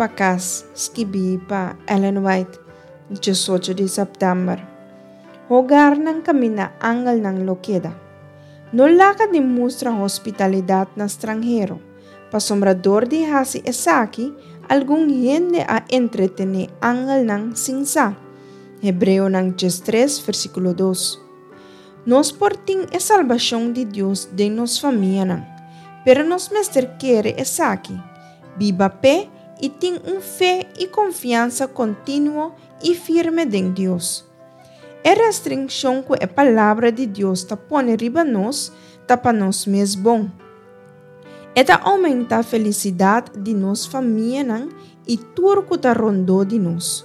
pa Kas, skibí pa Ellen White, 18 di sèptèmber. Hogarnan kaminda angelnan lo keda. No laga di mustra hospitalidat na stranhero, pasobra dor di hasi esaki algun hende a entretené angelnan sin sa. Hebreonan 13 versíkulo 2. Nos por tin e salbashon di Dios den nos famianan, pero nos mester kere esaki, biba p'e i tin un fe i konfiansa kontinuo i firme den Dios. E restrikshon ku e Palabra di Dios ta pone riba nos ta pa nos mes bon. E ta oumentá felisidat di nos famianan i tur ku ta rondó di nos.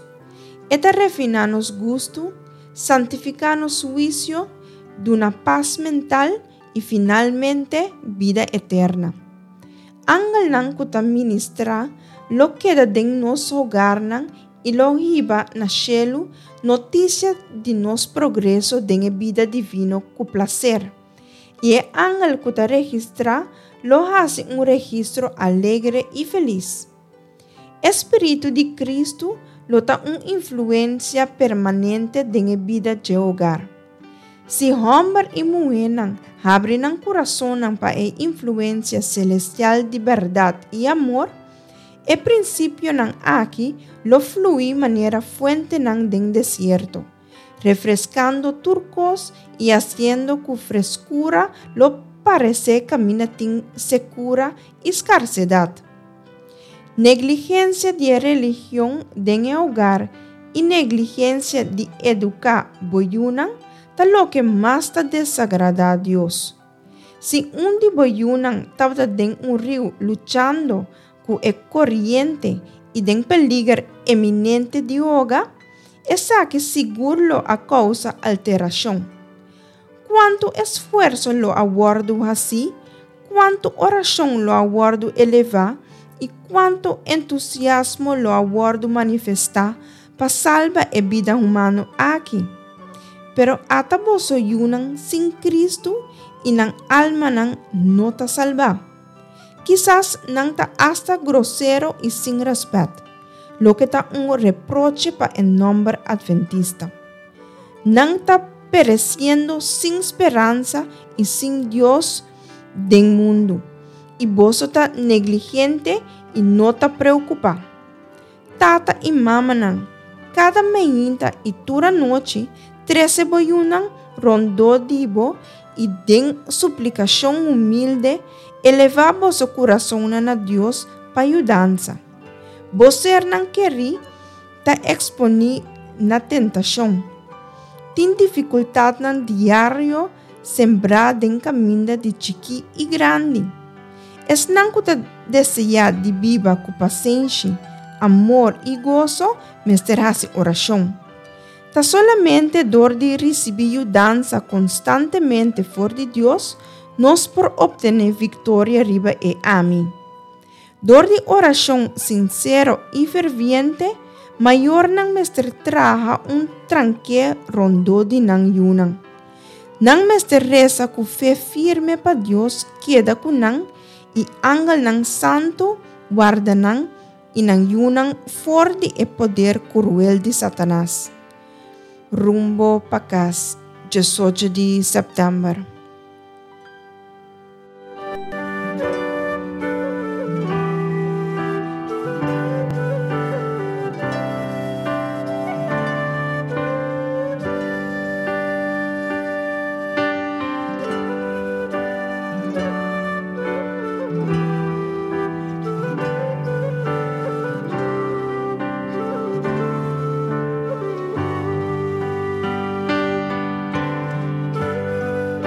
E ta refiná nos gustu, santifiká nos huisio, duna pas mental i finalmente bida eterna. Angelnan ku ta ministrá lo keda den nos hogarnan i lo hiba na shelu notisia di nos progreso den e bida divino ku plaser. I e angel ku ta registrá lo hasi un registro alegre i felis. E spiritu di Kristu lo ta un influensia permanente den e bida dje hogar. Si hòmber i muhénan habri nan kurasonnan pa e influensia selestial di bèrdat i amor, E prinsipionan aki lo flui manera fuentenan den desierto, refreskando tur kos i hasiendo ku freskura lo paresé kaminda tin sekura i skarsedat. Negligensia di e religion den e hogar i negligensia di eduká bo yunan ta loke mas ta desagradá Dios. Si un di bo yunan tabata den un riu luchando ku e koriente i den peliger eminente di hoga, esaki sigur lo a kousa alterashon. Kuantu esfuerso lo a wòrdu hasí, kuantu orashon lo a wòrdu elevá i kuantu entusiasmo lo a wòrdu manifestá pa salba e bida humano aki. Pero ata boso yunan sin Kristu i nan almanan no ta salbá. Kisas nan ta asta grosero i sin rèspèt, loke ta un reproche pa e nòmber Adventista. Nan ta peresiendo sin speransa i sin Dios den mundu, i boso ta negligente i no ta preokupá. Tata i mamanan, kada meinta i tur anochi trese bo yunan rondó di bo i den suplikashon humilde elevá boso kurasonnan na Dios pa yudansa. Bo sernan kerí ta eksponí na tentashon. Tin difikultatnan diario sembrá den kaminda di chikí i grandi. Esnan ku ta deseá di biba ku pasenshi, amor i goso mester hasi orashon. Ta solamente dor di risibí yudansa konstantemente for di Dios nos por optené viktoria riba e ami. Dor di orashon sinsero i ferviente, mayornan mester traha un tranké rondó di nan yunan. Nan mester resa ku fe firme pa Dios keda ku nan i angelnan santu warda nan i nan yunan for di e poder kuruel di Satanas. Rumbo pa kas, 18 di sèptèmber.